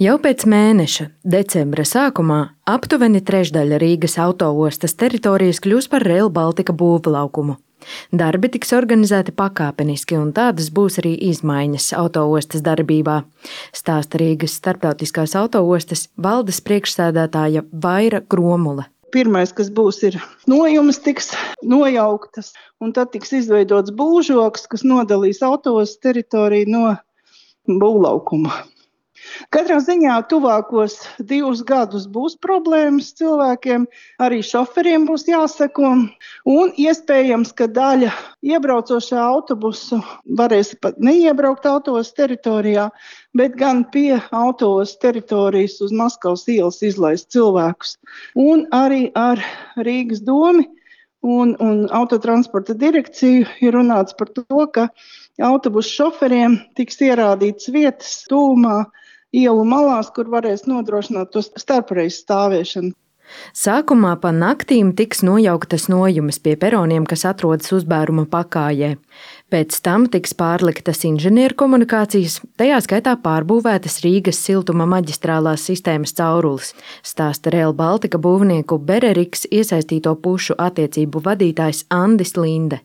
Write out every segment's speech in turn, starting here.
Jau pēc mēneša, decembra sākumā, aptuveni trešdaļa Rīgas autoostas teritorijas kļūs par Rail Baltica būvlaukumu. Darbi tiks organizēti pakāpeniski, un tādas būs arī izmaiņas autoostas darbībā, stāsta Rīgas starptautiskās autoostas valdes priekšsēdētāja Vaira Gromule. Pirmais, kas būs, ir nojumes tiks nojauktas, un tad tiks izveidots būvžoks, kas nodalīs autoostas teritoriju no būvlaukuma. Katrā ziņā tuvākos 2 gadus būs problēmas cilvēkiem, arī šoferiem būs jāseko, un iespējams, ka daļa iebraucošā autobusu varēs pat neiebraukt autoostas teritorijā, bet gan pie autoostas teritorijas uz Maskavas ielas izlaist cilvēkus. Un arī ar Rīgas domi un autotransporta direkciju ir runāts par to, ka autobusu šoferiem tiks ierādītas vietas tūmā ielu malās, kur varēs nodrošināt to starpreiz stāvēšanu. Sākumā pa naktīm tiks nojauktas nojumes pie peroniem, kas atrodas uzbēruma pakājē. Pēc tam tiks pārliktas inženierkomunikācijas, tajā skaitā pārbūvētas Rīgas siltuma maģistrālās sistēmas caurules, stāsta Rail Baltica būvnieku Bereriks iesaistīto pušu attiecību vadītājs Andis Linde.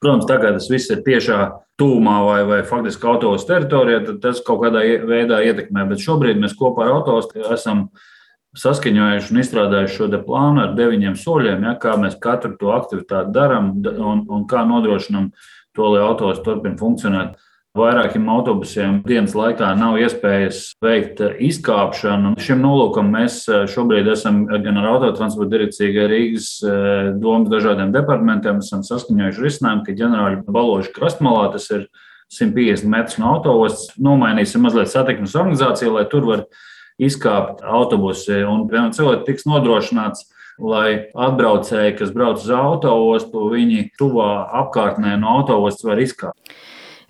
Protams, tagad tas viss ir tiešā tūmā vai faktiski autoostas teritorijā, tad tas kaut kādā veidā ietekmē. Bet šobrīd mēs kopā ar autoostu esam saskaņojuši un izstrādājuši šo plānu ar 9 soļiem, kā mēs katru to aktivitāti darām un kā nodrošinām to, lai autoosta turpina funkcionēt. Vairākiem autobusiem dienas laikā nav iespējas veikt izkāpšanu. Šim nolūkam mēs šobrīd esam gan ar autotransporta direkciju, gan Rīgas domas dažādiem departamentiem esam saskaņojuši risinājumu, ka ģenerāļa Baloža krastmalā, tas ir 150 metrus no autoostas, nomainīsim mazliet satiksmes organizāciju, lai tur var izkāpt autobusi. Un cilvēki tiks nodrošināts, lai atbraucēji, kas brauc uz autoostu, viņi tuvā apkārtnē no autoostas var izkāpt.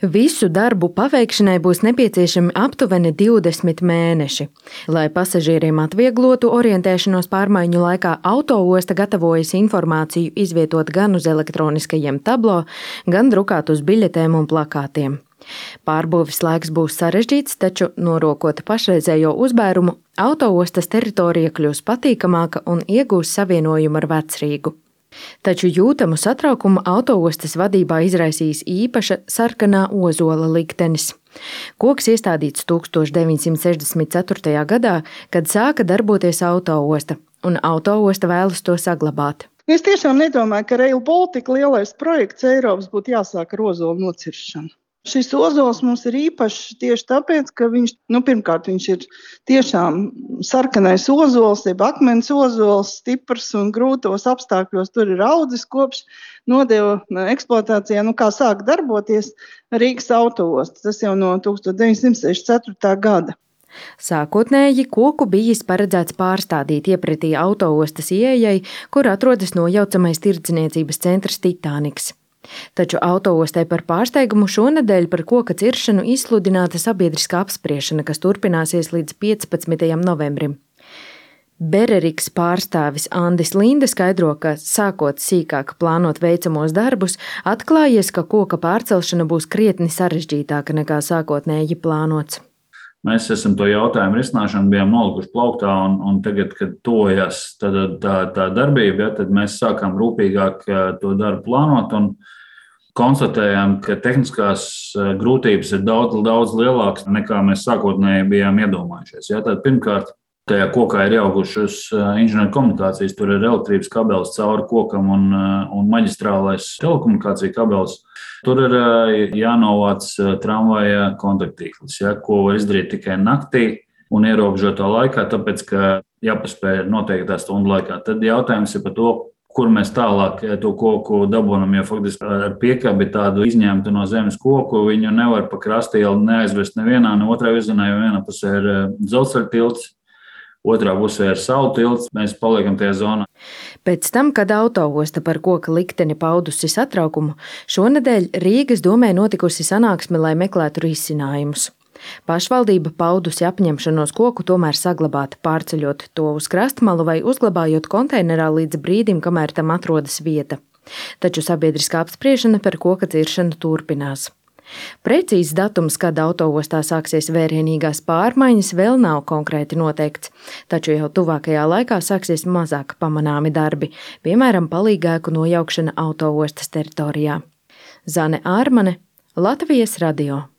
Visu darbu paveikšanai būs nepieciešami aptuveni 20 mēneši. Lai pasažieriem atvieglotu orientēšanos pārmaiņu laikā, autoosta gatavojas informāciju izvietot gan uz elektroniskajiem tablo, gan drukāt uz biļetēm un plakātiem. Pārbūves laiks būs sarežģīts, taču, norokot pašreizējo uzbērumu, autoostas teritorija kļūs patīkamāka un iegūs savienojumu ar Vecrīgu. Taču jūtamu satraukumu autoostas vadībā izraisīs īpaša sarkanā ozola liktenis. Koks iestādīts 1964. gadā, kad sāka darboties autoosta, un autoosta vēlas to saglabāt. Es tiešām nedomāju, ka Rail Baltica lielais projekts Eiropas būtu jāsāk ar ozolu nociršanu. Šis ozols mums ir īpašs tieši tāpēc, ka pirmkārt, viņš ir tiešām sarkanais ozols, jeb akmens ozols, stiprs un grūtos apstākļos tur ir audzis kopš nodeva eksploatācijā, kā sāk darboties Rīgas autoosta. Tas jau no 1964. gada. Sākotnēji koku bijis paredzēts pārstādīt iepratī autoostas ieejai, kur atrodas nojaucamais tirdzniecības centrs Titāniks. Taču autoostai par pārsteigumu šonedēļ par koka ciršanu izsludināta sabiedriskā apspriešana, kas turpināsies līdz 15. novembrim. Bereriks pārstāvis Andis Linde skaidro, ka sākot sīkāk plānot veicamos darbus, atklājies, ka koka pārcelšana būs krietni sarežģītāka nekā sākotnēji plānots. Mēs esam to jautājumu risināšanu bijām nolikuši plauktā, un tagad, kad tojas tā darbība, tad mēs sākām rūpīgāk to darbu plānot un konstatējām, ka tehniskās grūtības ir daudz lielākas nekā mēs sākotnēji bijām iedomājušies. Tad pirmkārt, tajā kokā ir ieaugušas inženierkomunikācijas, tur ir elektrības kabelis cauri kokam un maģistrālais telekomunikācija kabelis. Tur ir jānovāc tramvaja kontaktīklis, ko var izdarīt tikai naktī un ierobežotā laikā, tāpēc, ka jāpaspēj noteiktā stundu laikā. Tad jautājums ir par to, kur mēs tālāk to koku dabūnam, jo faktiski ar piekabi tādu izņemtu no zemes koku, viņu nevar pa krastielu neaizvest nevienā, ne otrā virzienā, jo vienā pusē ir dzelzceļa tilts, otrā pusē ir salu tilts, mēs paliekam tajā zonā. Pēc tam, kad autoosta par koka likteni paudusi satraukumu, šonedēļ Rīgas domē notikusi sanāksme, lai meklētu risinājumus. Pašvaldība paudusi apņemšanos koku tomēr saglabāt, pārceļot to uz krastmalu vai uzglabājot konteinerā līdz brīdim, kamēr tam atrodas vieta. Taču sabiedriskā apspriešana par koka ciršanu turpinās. Precīzs datums, kad autoostā sāksies vērienīgās pārmaiņas, vēl nav konkrēti noteikts, taču jau tuvākajā laikā sāksies mazāk pamanāmi darbi, piemēram, palīgēku nojaukšana autoostas teritorijā. Zane Ārmane, Latvijas radio.